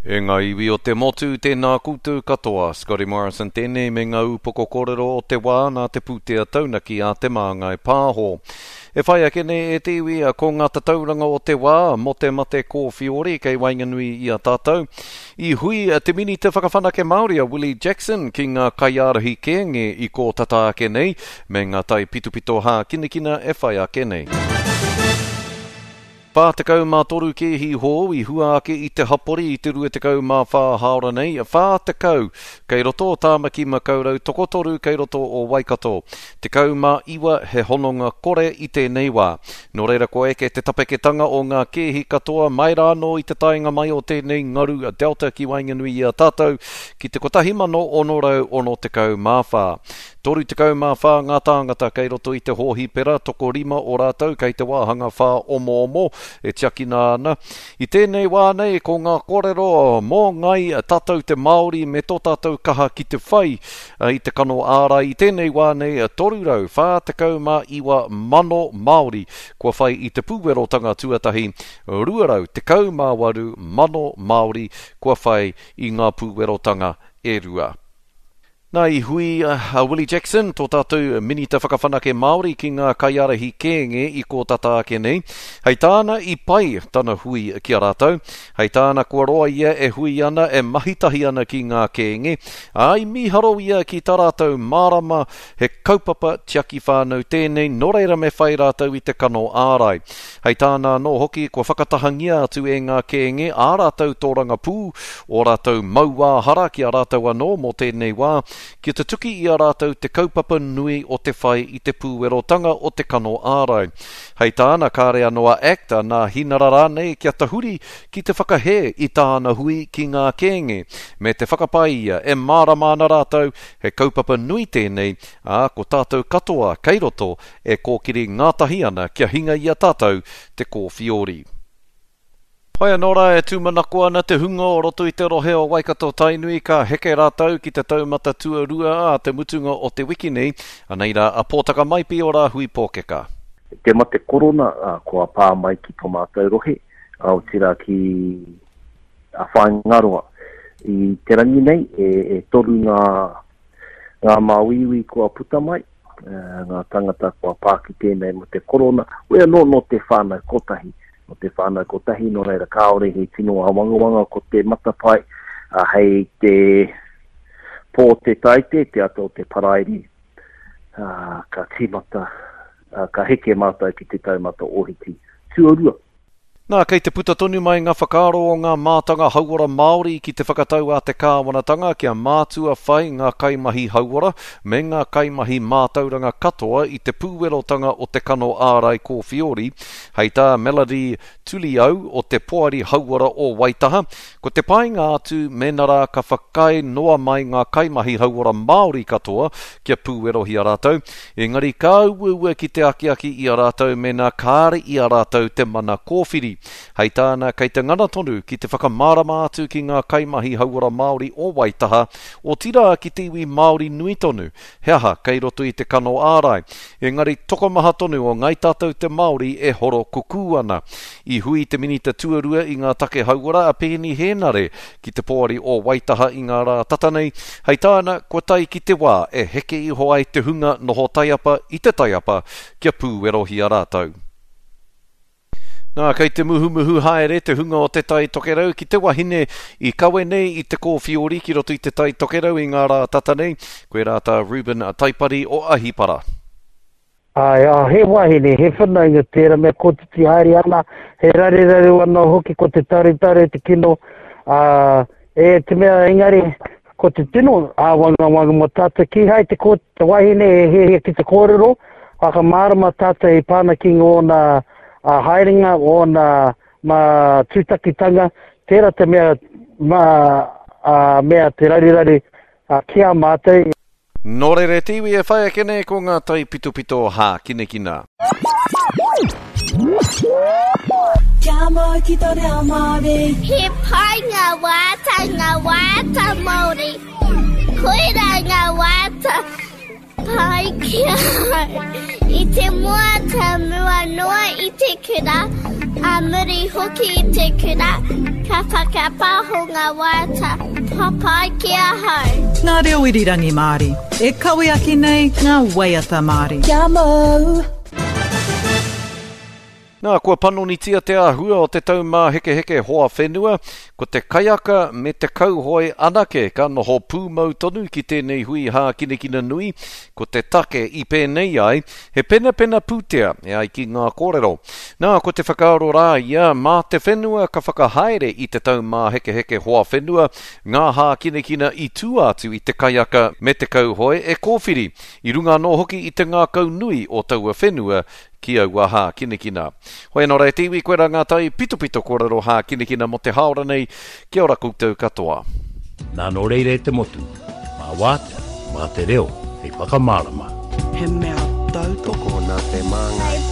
E ngā iwi o te motu, tēnā koutou katoa. Scotty Morrison tēnei me ngā ūpoko kōrero o te wā nā te pūtea taunaki a Te Māngai Pāho. E whai ake nei e te iwi ko ngā tatauranga o te wā mō te mate kōwhiori kei waenganui i a tātou. I hui te Minita Whakawhanake Māori a Willie Jackson ki ngā kaiārahi kēnge i kō tata ake nei me ngā taipitopito hākinakina e whai ake nei. 43 kēhi hou i hua ake i te hapori i te 24 hāora nei, 40 kei roto o Tāmaki Makaurau, tokotoru kei roto o Waikato. 19 he hononga kore i tēnei wā. Nō reira kua eke te tapeketanga o ngā kēhi katoa mai rānō i te taenga mai o tēnei ngaru Delta ki waenganui i a tātou ki te 1664. 34 ngā tāngata kei roto i te hōhipera, tokorima o rātou kei te wāhanga whāomoomo e tiakina ana. I tēnei wā nei, ko ngā kōrero mō Ngāi Tātou te Māori me tō tātou kaha ki te whai i te kano ārai i tēnei wā nei, 349 mano Māori kua whai i te pūwerotanga tuatahi, 218 mano Māori kua whai i ngā pūwerotanga e rua. Nā, i hui a Willie Jackson, tō tātou Minita Whakawhanake Māori ki ngā kaiārahi kēnge i kō tata ake nei. Hei tāna i pai tana hui ki a rātou. Hei tāna kua roa ia e hui ana, e mahi tahi ana ki ngā kēnge, ā, i mīharo ia ki tā rātou mārama he kaupapa tiaki whānau tēnei, nō reira me whai rātou i te kano ārai. Hei tāna anō hoki, kua whakatahangia atu e ngā kēnge ā rātou tōrangapū, ō rātou mauāhara ki a rātou anō mō tēnei wā, kia tutuki i a rātou te kaupapa nui o te whai i te pūwerotanga o te kano ārai. Hei tāna, kāre anō a act, a Nā Hinara rānei kia tahuri ki te whakahē i tāna hui ki ngā kēnge, me te whakapae ia e mārama ana rātou he kaupapa nui tēnei, ā, ko tātou katoa kei roto e kōkiri ngātahi ana kia hinga i a tātou te kōwhiori. Whai anō rā e tūmanako ana te hunga o roto i te rohe o Waikato-Tainui ka heke rātou ki te taumata tuarua ā te mutunga o te wiki nei, anei rā a Pōtaka Maipi o Rāhui Pōkeka. Te mate korona kua pā mai ki to mātou rohe, otirā ki a Whāingaroa. I te rangi nei, e toru ngā ngā māuiui kua puta mai, ngā tangata kua pā ki tēnei mate korona, hoi anō nō te whānau kotahi, nō te whānau kotahi, nō reira kāore he tino āwangawanga ko te matapae, ā, hei te pō te Taite, te ata o te Paraire, ā, ka tīmata, ā, ka heke mātou ki te taumata ōhiti tuarua. Nā, kei te puta tonu mai ngā whakaaro o ngā mātanga hauora Māori ki te whakatau a te kāwanatanga kia mātua whai ngā kaimahi hauora me ngā kaimahi mātauranga katoa i te pūwerotanga o te kano ārai kōwhiori. Hei tā Melody Tuliau o te Poari Hauora o Waitaha, Ko te painga atu mēnā rā ka whakaae noa mai ngā kaimahi hauora Māori katoa kia pūwerohia rātou, engari ka uaua ki te akiaki i a rātou mēnā kāre i a rātou te mana kōwhiri. Hei tāna, kei te ngana tonu ki te whakamārama atu ki ngā kaimahi hauora Māori o Waitaha, otirā ki te iwi Māori nui tonu, He aha kei roto i te kano ārai? Engari tokomaha tonu o Ngai Tātou te Māori e horo kukū ana. I hui te Minita Tuarua i ngā Take Hauora a Peeni Hēnare ki te Poari o Waitaha i ngā rā tata nei, hei tāna, kua tae ki te wā e heke iho ai te hunga noho taiapa i te taiapa kia pūwerohia rātou. Nā, kei te muhumuhu haere te hunga o Te Tai Tokerau ki te wahine i kawe nei i te kōwhiori ki roto i Te Tai Tokerau i ngā rā tata nei, koirā tā Reuben Taipari o Ahipara. Āe, ā, he wahine, he whanaunga tērā mea kotiti haere ana, he raruraru anō hoki ko te tarutaru te kino, ā, e te mea engari ko te tino āwangawanga mō tātou, kīhai te, ko, te wahine e hiahia ki te kōrero, whakamārama tātou i pāna ki ngōna a haerenga, ōna mā tūtakitanga, tērā te mea, mā, a, mea te raruraru a, ki a mātou. Nō reira e te iwi e whai ake nei ko ngā taipitopito hākinakina. Kia mau ki to reo Māori. He pai ngā waiata, ngā waiata Māori. Koirā ngā waiata pai ki ahau. I te mua ta mua noa i te kura, a. muri hoki i te kura, ka whakapāho ngā waiata papai ki ahau. Ngā reo irirangi Māori, e kawe ake nei ngā waiata Māori. Kia mau! Nā, kua panonitia te āhua o te Taumāhekeheke Hoa Whenua, ko te kaiaka me te kauhoe anake ka noho pūmau tonu ki tēnei hui hākinakina nui, ko te take i pēnei ai, he penapena pūtea, e ai ki ngā kōrero. Nā, ko te whakaaro rā ia, mā te whenua ka whakahaere i te Taumāhekeheke Hoa Whenua, ngā hākinakina i tua atu i te kaiaka me te kauhoe e kōwhiri, i runga anō hoki i te ngākau nui o taua whenua ki aua hākinakina. Hoi anō rā e te iwi, koirā ngā tai pitopito kōrero hākinakina mō te hāora nei. Kia ora koutou katoa. Nā nō reira e te motu, mā wātea, mā te reo hei whakamārama. He mea tautoko. Tokona te māngai.